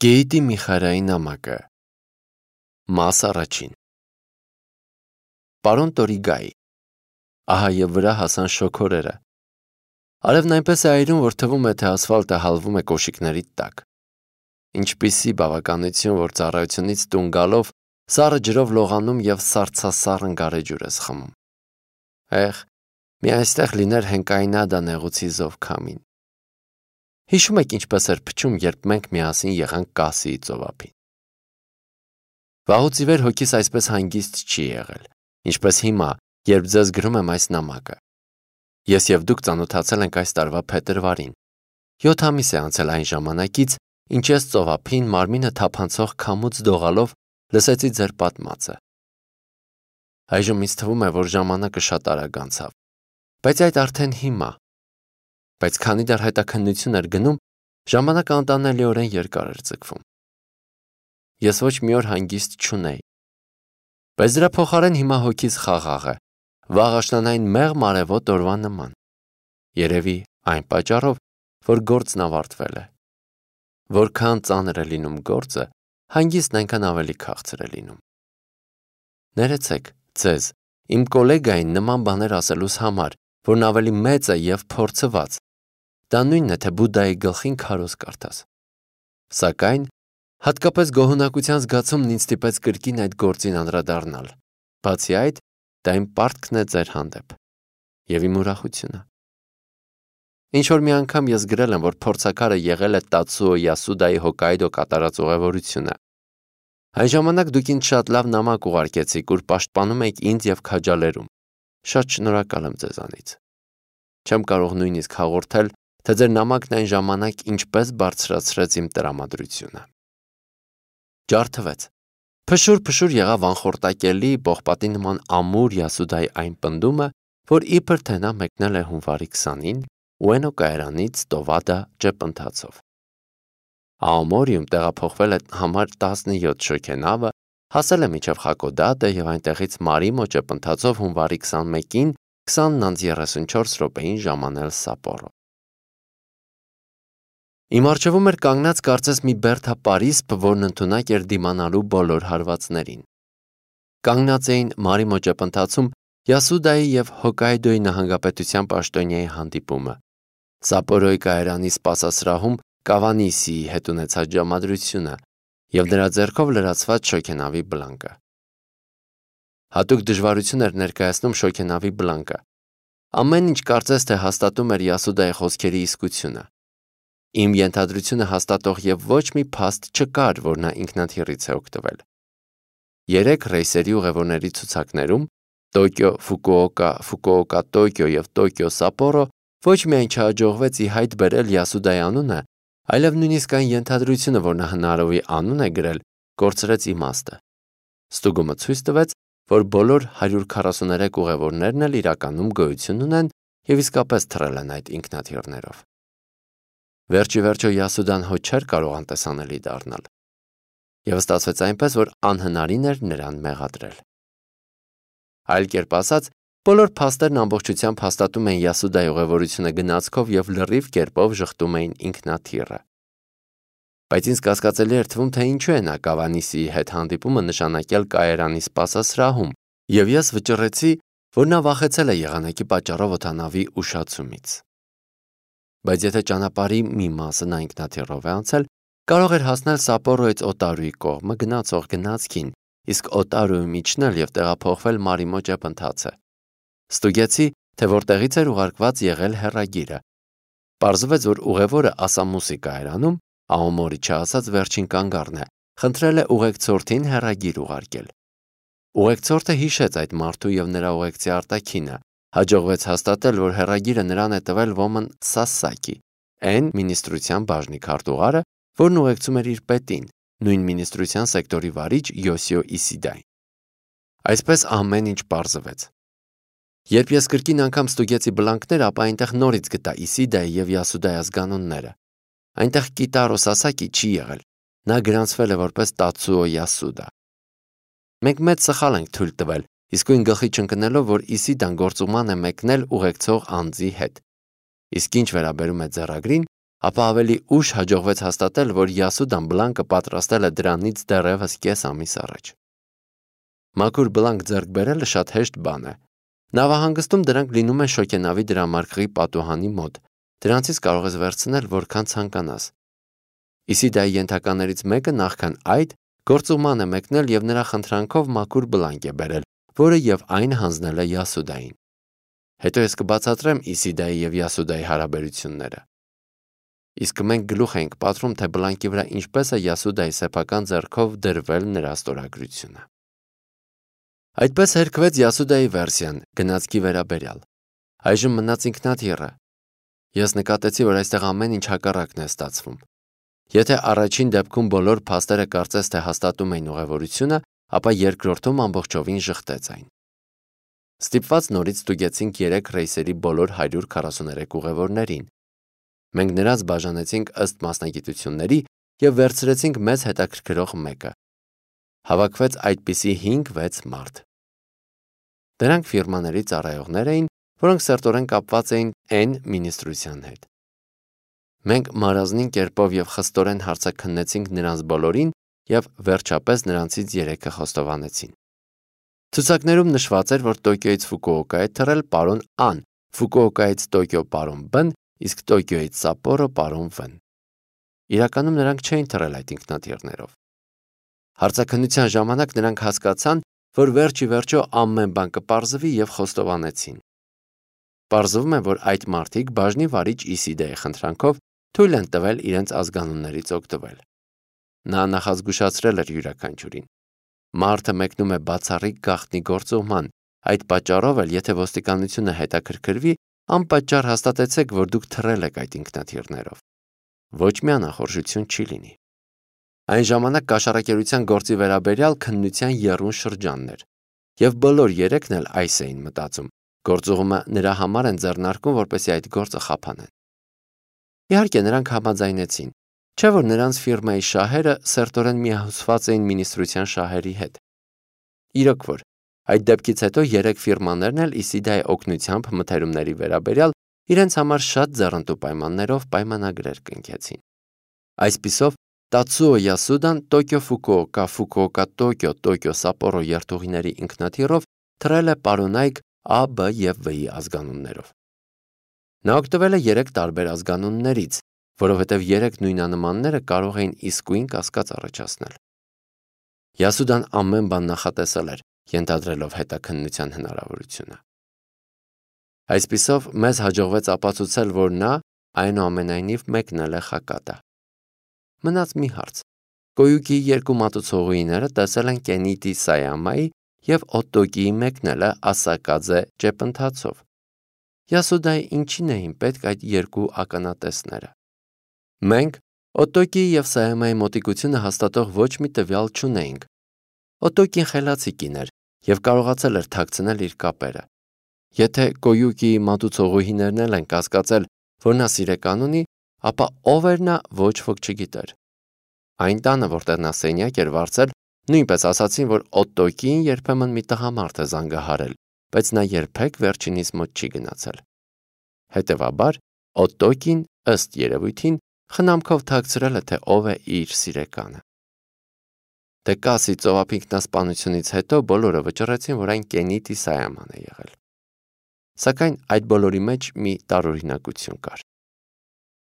Գեյտի Միխարայի նամակը Մաս առաջին Պարոն Տորիգայի Ահա և վրա հասան շոգորերը Արևն այնպես է այրում, որ թվում է, թե ասֆալտը հալվում է կոշիկների տակ Ինչպիսի բավականություն, որ ծառայությունից տուն գալով սառը ջրով լողանում և սառցասառն գարեջուր ես խմում մի այստեղ լիներ հենկայինադա նեղուցի զով քամին Հիշում եք ինչպես էր փչում, երբ մենք միասին եղանք Կասիի ծովափին Վաղուց ի վեր հոգիս այսպես հանգիստ չի եղել, ինչպես հիմա, երբ ձեզ գրում եմ այս նամակը Ես և դուք ծանոթացել ենք այս տարվա փետրվարին 7 ամիս է անցել այն ժամանակից, ինչ ես ծովափին մարմինը թափանցող քամուց դողալով լսեցի ձեր պատմածը Այժմ ինձ թվում է, որ ժամանակը շատ արագ անցավ, բայց այդ արդեն հիմա Բայց քանի դեռ հետաքննություն էր գնում, ժամանակը անտանելիորեն երկար էր ձգվում Ես ոչ մի օր հանգիստ չունեի Բայց դրա փոխարեն հիմա հոգիս խաղաղ է, վաղ աշնանային մեղմ արևոտ օրվա նման Երևի այն պատճառով, որ գործն ավարտվել է Որքան ծանր է լինում գործը, հանգիստն այնքան ավելի քաղցր է լինում Ներեցեք ձեզ, իմ կոլեգային նման բաներ ասելուս համար, որն ավելի մեծ է և փորձված Դա նույնն է, թե Բուդդայի գլխին քարոզ կարդաս Սակայն, հատկապես գոհունակության զգացումն ինձ ստիպեց կրկին այդ գործին անդրադառնալ Բացի այդ, դա իմ պարտքն է ձեր հանդեպ և իմ ուրախությունը Ինչ-որ մի անգամ ես գրել եմ, որ փորձաքարը եղել է Տացուո Յասուդայի Հոկկայդո կատարած ուղևորությունը Այն ժամանակ դուք ինձ շատ լավ նամակ ուղարկեցիք, ուր պաշտպանում եք ինձ և քաջալերում Շատ շնորհակալ եմ ձեզանից Չեմ կարող նույնիսկ հաղորդել, թե ձեր նամակն այն ժամանակ ինչպես բարձրացրեց իմ տրամադրությունը Ջարդվեց Փշուր եղավ անխորտակելի, պողպատի նման ամուր Յասուդայի այն պնդումը, որ իբր թե նա մեկնել է հունվարի 20-ին Ուենո կայարանից Տովադա ճեպընթացով Աոմորիում տեղափոխվել է համար 17 շոգենավը, հասել է մինչև Խակոդատը և այնտեղից Մարիմո ճեպընթացով հունվարի 21-ին 20:34 ժամանել Սապորո Իմ առջևում էր կանգնած կարծես մի բերդապարիսպ, որն ընդունակ էր դիմանալու բոլոր հարվածներին Կանգնած էին Մարիմո ճեպընթացում Յասուդայի և Հոկկայդոյի նահանգապետության պաշտոնյայի հանդիպումը Սապորոյի կայարանի սպասասրահում Կավանիսիի հետ ունեցած ժամադրությունը և նրա ձեռքով լրացված շոգենավի բլանկը Հատուկ դժվարություն էր ներկայացնում շոգենավի բլանկը Ամեն ինչ կարծես թե հաստատում էր Յասուդայի խոսքերի իսկությունը Իմ ենթադրությունը հաստատող և ոչ մի փաստ չկար, որ նա ինքնաթիռից է օգտվել 3 ռեյսերի ուղևորների ցուցակներում Տոկիո Ֆուկուոկա, Ֆուկուոկա Տոկիո և Տոկիո Սապորո ոչ միայն չհաջողվեց ի հայտ բերել Յասուդայի անունը, այլև նույնիսկ այն ենթադրությունը, որ նա հնարովի անուն է գրել, կորցրեց իմաստը Ստուգումը ցույց տվեց, որ բոլոր 143 ուղևորներն էլ իրականում գոյություն ունեն և իսկապես թռել են այդ ինքնաթիռներով Վերջիվերջո Յասուդան հո չէր կարող անտեսանելի դառնալ Եվ ստացվեց այնպես, որ անհնարին էր նրան մեղադրել Այլ կերպ ասած, բոլոր փաստերն ամբողջությամբ հաստատում են Յասուդայի ուղևորությունը գնացքով և լրիվ կերպով ժխտում էին ինքնաթիռը Բայց ինձ կասկածելի էր թվում, թե ինչու է նա Կավանիսիի հետ հանդիպումը նշանակել կայարանի սպասասրահում և ես վճռեցի, որ նա վախեցել է եղանակի պատճառով օդանավի ուշացումից Բայց եթե ճանապարհի մի մասը նա ինքնաթիռով է անցել, կարող էր հասնել Սապորոյից Օտարուի կողմը գնացող գնացքին, իսկ Օտարուում իջնել և տեղափոխվել Մարիմո ճեպընթացը Ստուգեցի, թե որտեղից էր ուղարկված եղել հեռագիրը Պարզվեց, որ ուղևորը Ասամուսի կայարանում, Աոմորի չասած վերջին կանգառն է, խնդրել է ուղեկցորդին հեռագիր ուղարկել Ուղեկցորդը հիշեց այդ մարդու և նրա ուղեկցի արտաքինը Հաջողվեց հաստատել, որ հեռագիրը նրան է տվել ոմն Սասակի, N մինիստրության բաժնի քարտուղարը, որն ուղեկցում էր իր պետին, նույն մինիստրության սեկտորի վարիչ Յոսիո Իսիդային Այսպես ամեն ինչ պարզվեց Երբ ես կրկին անգամ ստուգեցի բլանկները, ապա այնտեղ նորից գտա Իսիդայի և Յասուդայի ազգանունները Այնտեղ Կիտարո Սասակի չի եղել, նա գրանցվել է որպես Տացուո Յասուդա Մենք մեծ սխալ ենք թույլ տվել, իսկույն գլխի չընկնելով, որ Իսիդան գործուղման է մեկնել ուղեկցող անձի հետ Իսկ ինչ վերաբերում է ձեռագրին, ապա ավելի ուշ հաջողվեց հաստատել, որ Յասուդան բլանկը պատրաստել է դրանից դեռևս կես ամիս առաջ։ Մաքուր բլանկ ձեռք բերելը շատ հեշտ բան է։ Նավահանգստում դրանք լինում են շոգենավի դրամարկղի պատուհանի մոտ, դրանցից կարող ես վերցնել որքան ցանկանաս։ Իսիդայի ենթականերից մեկը նախքան այդ գործուղման է մեկնել և նրա խնդրանքով մաքուր բլանկ է բերել, որը և այն հանձնել է Յասուդային։ Հետո ես կբացատրեմ Իսիդայի և Յասուդայի հարաբերությունները։ Իսկ մենք գլուխ ենք պատրում, թե բլանկի վրա ինչպես է Յասուդայի սեփական ձեռքով դրվել նրա ստորագրությունը։ Այդպես հերքվեց Յասուդայի վերսիան գնացքի վերաբերյալ։ Այժմ մնաց ինքնաթիռը։ Ես նկատեցի, որ այստեղ ամեն ինչ հակառակն է ստացվում։ Եթե առաջին դեպքում բոլոր փաստերը կարծես թե հաստատում էին ուղևորությունը, ապա երկրորդում ամբողջովին ժխտեց այն։ Ստիպված նորից ստուգեցինք 3 ռեյսերի բոլոր 143 ուղևորներին։ Մենք նրանց բաժանեցինք ըստ մասնագիտությունների և վերցրեցինք մեզ հետաքրքրող մեկը։ Հավաքվեց այդպիսի 5-6 մարդ։ Դրանք ֆիրմաների ծառայողներ էին, որոնք սերտորեն կապված էին N մինիստրության հետ։ Մենք մարազնին կերպով և խստորեն հարցաքննեցինք նրանց բոլորին և վերջապես նրանցից 3-ը խոստովանեցին։ Ցուցակներում նշված էր, որ Տոկիոյից Ֆուկուոկա է թռել պարոն Ան, Ֆուկուոկայից Տոկիո պարոն Բ-ն, իսկ Տոկիոյից Սապորո պարոն Վ-ն։ Իրականում նրանք չէին թռել այդ ինքնաթիռներով։ Հարցաքննության ժամանակ նրանք հասկացան, որ վերջ ի վերջո ամեն բան կպարզվի և խոստովանեցին։ Պարզվում է, որ այդ մարդիկ բաժնի վարիչ Իսիդայի խնդրանքով թույլ են տվել իրենց ազգանուններից օգտվել։ Նա նախազգուշացրել էր յուրաքանչյուրին։ Մարդը մեկնում է բացառիկ գաղտնի գործուղման, այդ պատճառով էլ, եթե ոստիկանությունը հետաքրքրվի, անպատճառ հաստատեցեք, որ դուք թռել եք այդ ինքնաթիռներով։ Ոչ մի անախորժություն չի լինի։ Այն ժամանակ կաշառակերության գործի վերաբերյալ քննության եռուն շրջանն էր, և բոլոր 3-ն էլ այս էին մտածում. գործուղումը նրա համար են ձեռնարկում, որպեսզի այդ գործը խափանեն։ Իհարկե, նրանք համաձայնեցին, չէ՞ որ նրանց ֆիրմայի շահերը սերտորեն միահյուսված էին մինիստրության շահերի հետ։ Իրոք որ, այդ դեպքից հետո 3 ֆիրմաներն էլ Իսիդայի օգնությամբ մթերումների վերաբերյալ իրենց համար շատ ձեռնտու պայմաններով պայմանագրեր կնքեցին։ Այսպիսով, Տացուո Յասուդան Տոկիո-Ֆուկուոկա, Ֆուկուոկա-Տոկիո, Տոկիո-Սապորո երթուղիների ինքնաթիռով թռել է պարոնայք A, B և V-ի ազգանուններով։ Նա օգտվել է 3 տարբեր ազգանուններից, որովհետև 3 նույնանմանները կարող էին իսկույն կասկած առաջացնել։ Յասուդան ամեն բան նախատեսել էր, ենթադրելով հետաքննության հնարավորությունը։ Այսպիսով, մեզ հաջողվեց ապացուցել, որ նա այնուամենայնիվ մեկնել է Խակատա։ Մնաց մի հարց։ Կոյուկիի 2 մատուցողուհիները տեսել են Կենիտի Սայամայի և Օտոկիի մեկնելը Ասակաձե ճեպընթացով։ Յասուդայի ինչին էին պետք այդ 2 ականատեսները։ Մենք Օտոկիի և Սայամայի մոտիկությունը հաստատող ոչ մի տվյալ չունեինք։ Օտոկին խելացի կին էր և կարողացել էր թաքցնել իր կապերը։ Եթե Կոյուկիի մատուցողուհիներն էլ են կասկածել, որ նա սիրեկան ունի, ապա ով էր նա, ոչ ոք չգիտեր։ Այն տանը, որտեղ նա սենյակ էր վարձել, նույնպես ասացին, որ Օտոկիին երբեմն մի տղամարդ է զանգահարել, բայց նա երբեք վերջինիս մոտ չի գնացել։ Հետևաբար, Օտոկին, ըստ երևույթին, խնամքով թաքցրել է, թե ով է իր սիրեկանը։ Տեկասի ծովափնիկնասպանությունից հետո բոլորը վճռեցին, որ այն Կենիտի Սայաման է եղել։ Սակայն այդ բոլորի մեջ մի տարօրինակություն կար։